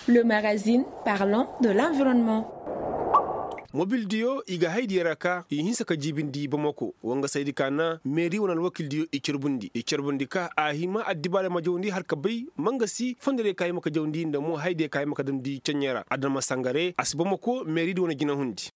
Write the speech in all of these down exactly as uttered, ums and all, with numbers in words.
Le magazine parlant de l'environnement. Mobil diyo i ga hay diyo ra ka i hinsa ka jiibindi bamako wangasaydi ka na meeri wane alwakil diyo i carbundi i carbundi ka a hima addibaarey ma jawndi har ka bay mangasi fondo diyo ka hima ka jawndi nda mo hay diyo ka hima ka damndi ceɲɲey ra adama sangare a si bamako meeri di wane jinahundi.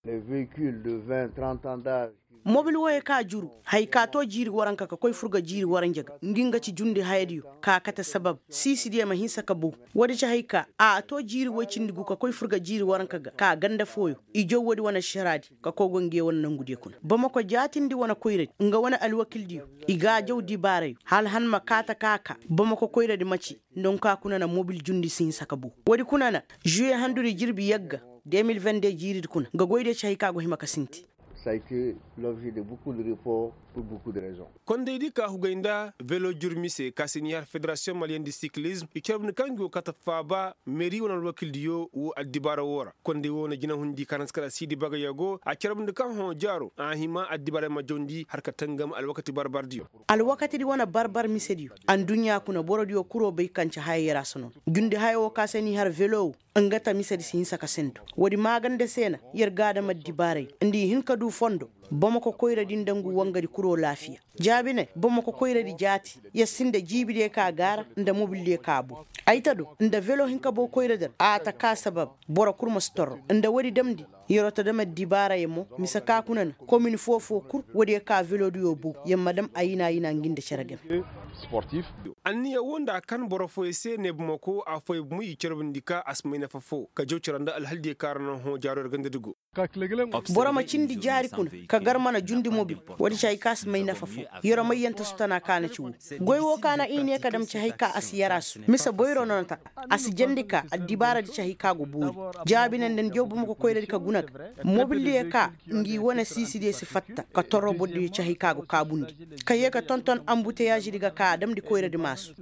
Mobil woyey ka juru haya ka to jiiri waranka ka koy fur ga jiiri waranja ga ngi nga ci jundi hayadiyo ka kate sabab siisidiyo ma hinsa ka bow. Woodi ci haya ka a to jiiri woy cindi gu ka koy fur ga jiiri waranka ga ka ganda fooyo i jaw woodi wane ašaraadi ka koy go nge wane nangudiyo kuna bamako jaatindi wane koyradi nga wane alwakildiyo. I g'a jaw dibaarayo hala han ma kaata ka ka bamako koyradi maci. Nda nkaa kuna na mobil jundi si hinsa ka bow. Woodi kuna na žuye handudi jirbi yagga de mil vende jiiridi kuna nga goydiyo ci haya ka go hima ka sinti. Kondaydi ka hugay nda velo jurmi se ka si n'i har federasiyoŋ maliyeŋ di sikilizm i carbundi ka ngi wo kaata faaba meeri wane alwakildiyo wo addibaara woo ra konday woo na jinahundi ka na si kala siidi bagayoo go a carbundi ka hõ jaaro a hima addibaarey ma jawndi har ka tangam alwakati barbardiyo. Alwakatidi wane barbar misediyo. Adduɲɲa kuna borodiyo kuroo bay kaŋ ci haya yer a si noon jundi haya woo ka se n'i har velo woo. Nga ta misedi si hinsa ka sendu. Woodi maaganda se na yer g'a dam addibaarey nda i hin ka du fondo. Bamako koyradi nda ngu wangadi kuroo laafiya. Jaabi ne bamako koyradi jaati yer sinda jiibidiyo ka gaara nda mobildiyo ka bow. Ay ta do nda velo hin ka bow koyradi ra a ta ka sabab. Boro kul ma si torro nda woodi damndi. Yeroo ta dam addibaarayo mo mise ka kuna na komin foo-foo kul woodiyo ka velodiyo bow yer ma dam ayina-ayina ngi nda cere game. Anniya woo nda a kan boro fooyoo se ne bamako affooyoo bomoy i carbundi ka a si may nafa foo ka jaw cere nda alhaldiyo ka ra na hõ jaaroo yer gandadi go. Boro ma cindi jaari kuna ka gar mana jundi mobil. Woodi ci hay ka si may nafa foo. Yeroo may yanta su tana ka na ci woo. Goy woo ka na i ne ka dam ci hay ka a si yaraasu mise boyro no na ta. A si jandi ka addibaaradi ci hay ka go boori. Jaabi ne nda ni jaw bamako koyradi ka guna ga mobildiyo ka ngi wane siisidiyo si fatta ka torro bordiyo ci hay ka go kaabundi. Ka yee ka tonton ambuteyaazidi ga ka a damndi koyradi maasu.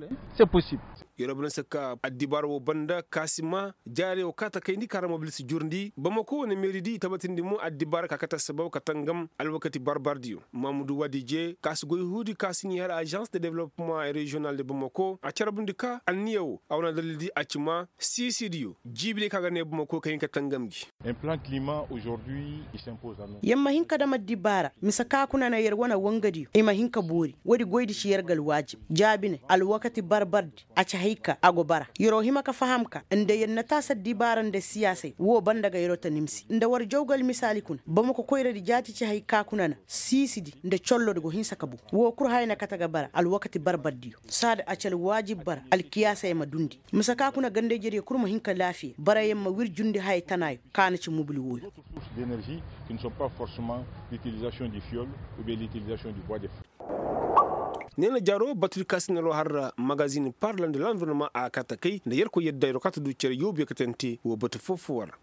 Yeroo bana si ka addibaara woo banda ka si maa jaarey woo ka ta kayndi ka ra mobil si jurndi bamako wane meeridi i tabatindi mo addibaara ka kate assabab ka tangam alwakati barbardiyo. Maamudu wadije ka si goy huudi ka si n'i har ažans de developpeman reziyonal de bamako a carbundi ka anniya woo a wane adalildi a ci maa siisidiyo jiibidiyo ka ga ne bamako ka hin ka tangam gi. Yer ma hin ka dam addibaara mise ka kuna na yer wane wangadiyo i ma hin ka boori woodi goydi ci yer ga alwaajib jaabi ne alwakati barbardi. A ci hay ka a go bara yeroo hima ka faham ka nda yer na taasi addibaara nda siyaasey woo banda ga yeroo ta nimsi nda war jaw ga almisaali kuna bamako koyradi jaati ci hay ka kuna na siisidi nda collodi go hinsa ka bow. Woo kul haya na kate ga bara alwakati barbardiyo saada a ci alwaajib bara alkiyaasey ma dundi. Mise ka kuna ganda-ijediyo kul ma hin ka laafiya barayaŋ ma wir jundi haya tanaayo ka na ci mobil wooyo. Ne na jaaroo batudi ka si na roo har magazin parlan de lanvirnoma a kaata kay nda yerkoy yadda yeroo kaata du cere yoobu yaŋ ka tante woo batu foo-foo wara.